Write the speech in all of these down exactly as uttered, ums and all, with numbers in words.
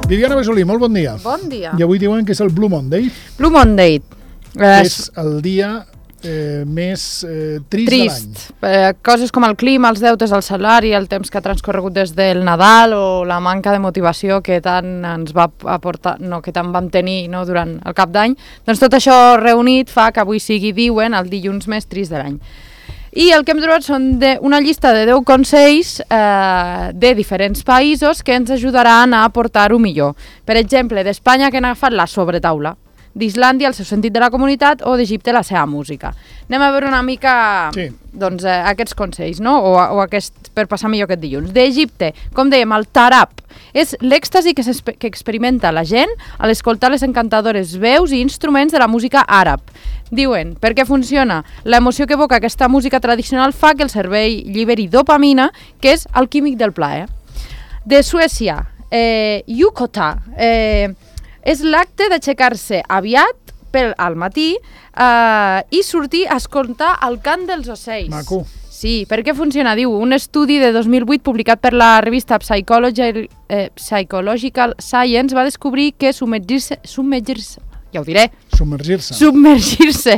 Viviana Besolí, molt bon dia. Bon dia. I avui diuen que és el Blue Monday. Blue Monday. És el dia eh, més eh, trist, trist de l'any. Eh, coses com el clima, els deutes, el salari, el temps que ha transcorregut des del Nadal o la manca de motivació que tant ens va aportar, no, que tant vam tenir, no, durant el cap d'any. Doncs tot això reunit fa que avui sigui, diuen, el dilluns més trist de l'any. I el que hem trobat són de, una llista de deu consells eh, de diferents països que ens ajudaran a portar-ho millor. Per exemple, d'Espanya, que han agafat la sobretaula, d'Islàndia el seu sentit de la comunitat o d'Egipte la seva música. Anem a veure una mica sí. doncs, eh, aquests consells, no? o, o aquest, per passar millor aquest dilluns. D'Egipte, com dèiem, el tarab és l'èxtasi que, que experimenta la gent a l'escoltar les encantadores veus i instruments de la música àrab. Diuen, per què funciona? L'emoció que evoca aquesta música tradicional fa que el cervell lliberi dopamina, que és el químic del plaer. De Suècia, eh, Yukota, eh, és l'acte d'aixecar-se aviat pel, al matí eh, i sortir a escoltar el cant dels ocells. Maco. Sí, per què funciona? Diu, un estudi de dos mil vuit publicat per la revista Psychology, eh, Psychological Science va descobrir que submergir-se, submergir-se ja ho diré, submergir-se submergir-se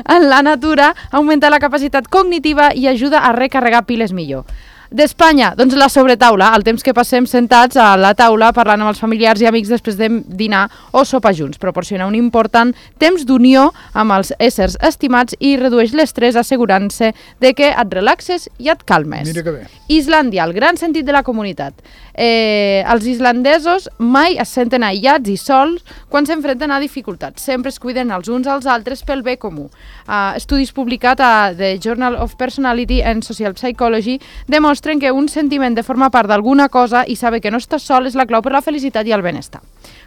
en la natura augmenta la capacitat cognitiva i ajuda a recarregar piles millor. D'Espanya, doncs la sobretaula, el temps que passem sentats a la taula parlant amb els familiars i amics després de dinar o sopar junts. Proporciona un important temps d'unió amb els éssers estimats i redueix l'estrès assegurant-se de que et relaxes i et calmes. Mira que bé. Islàndia, el gran sentit de la comunitat. Eh, els islandesos mai es senten aïllats i sols quan s'enfrenten a dificultats. Sempre es cuiden els uns als altres pel bé comú. Uh, estudis publicats a The Journal of Personality and Social Psychology demostren que un sentiment de formar part d'alguna cosa i saber que no estàs sol és la clau per la felicitat i el benestar.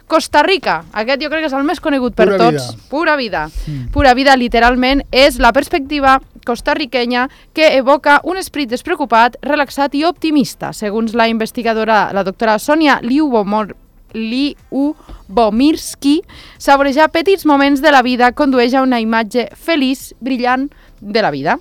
Costa Rica, aquest jo crec que és el més conegut per Pura tots. Vida. Pura vida. Mm. Pura vida, literalment, és la perspectiva costarriquenya que evoca un esperit despreocupat, relaxat i optimista. Segons la investigadora, la doctora Sonia Liubomor, Liubomirsky, saborejar petits moments de la vida condueix a una imatge feliç, brillant de la vida.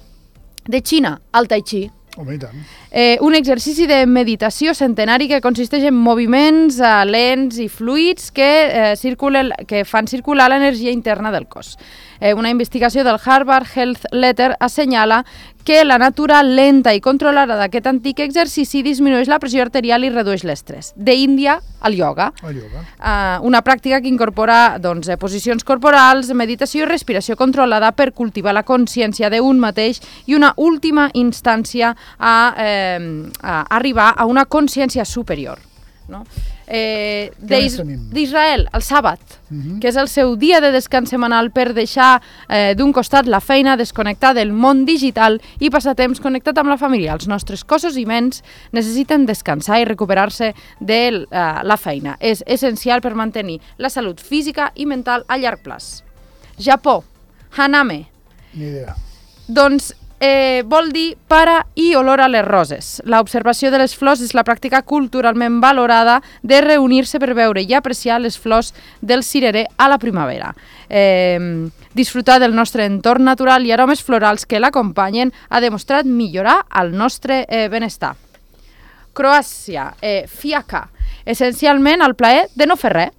De Xina, el Tai Chi. Home, i tant. Eh, un exercici de meditació centenari que consisteix en moviments eh, lents i fluids que, eh, circulen, que fan circular l'energia interna del cos. Eh, una investigació del Harvard Health Letter assenyala que la natura lenta i controlada d'aquest antic exercici disminueix la pressió arterial i redueix l'estrès. D'Índia, el ioga. El ioga. Uh, una pràctica que incorpora doncs, posicions corporals, meditació i respiració controlada per cultivar la consciència d'un mateix i una última instància a, eh, a arribar a una consciència superior. No? Eh, D'Israel, el sàbat, uh-huh. que és el seu dia de descans setmanal per deixar eh, d'un costat la feina, desconnectar del món digital i passar temps connectat amb la família. Els nostres cossos i ments necessiten descansar i recuperar-se de eh, la feina. És essencial per mantenir la salut física i mental a llarg plaç. Japó, Haname. Ni idea. Doncs Eh, vol dir para i olor a les roses. L'observació de les flors és la pràctica culturalment valorada de reunir-se per veure i apreciar les flors del cirerer a la primavera. Eh, disfrutar del nostre entorn natural i aromes florals que l'acompanyen ha demostrat millorar el nostre eh, benestar. Croàcia, eh, fiaca. Essencialment el plaer de no fer res.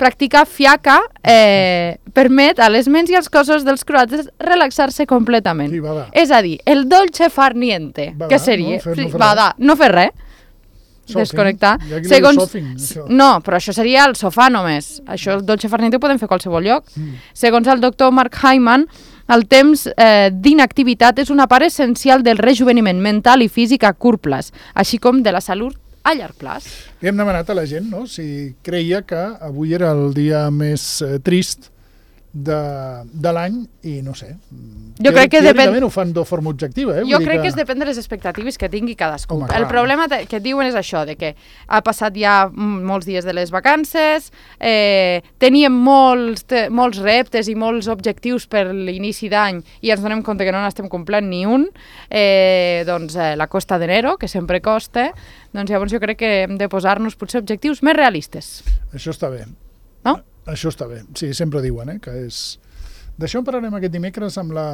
Practicar fiaca eh, permet a les ments i als cossos dels croates relaxar-se completament. Sí, va, va. És a dir, el dolce far niente, va, que seria? No fer, no fer va, da, no fer res. Sofing. Desconnectar. Segons... Sofing, no, però això seria el sofà només. Això, el dolce far niente, ho podem fer a qualsevol lloc. Mm. Segons el doctor Mark Hyman, el temps eh, d'inactivitat és una part essencial del rejuveniment mental i físic a curt plaç, així com de la salut a llarg plaç. Li hem demanat a la gent, no?, si creia que avui era el dia més eh, trist de, de l'any i no sé. Jo crec que depèn... ho fan de forma objectiva, eh? Jo Vull crec dir que... que es depèn de les expectatives que tingui cadascú. Home, el problema que et diuen és això, de que ha passat ja molts dies de les vacances, eh, teníem molts, te, molts reptes i molts objectius per l'inici d'any i ens donem compte que no n'estem complint ni un, eh, doncs eh, la costa d'enero, que sempre costa, doncs llavors jo crec que hem de posar-nos potser objectius més realistes. Això està bé. No? Això està bé. Sí, sempre diuen, eh, que és... D'això en parlarem aquest dimecres amb la,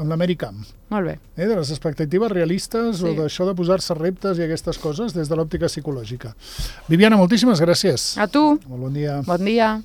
amb l'Americamp. Molt bé. Eh, de les expectatives realistes Sí. o d'això de posar-se reptes i aquestes coses des de l'òptica psicològica. Viviana, moltíssimes gràcies. A tu. Molt bon dia. Bon dia.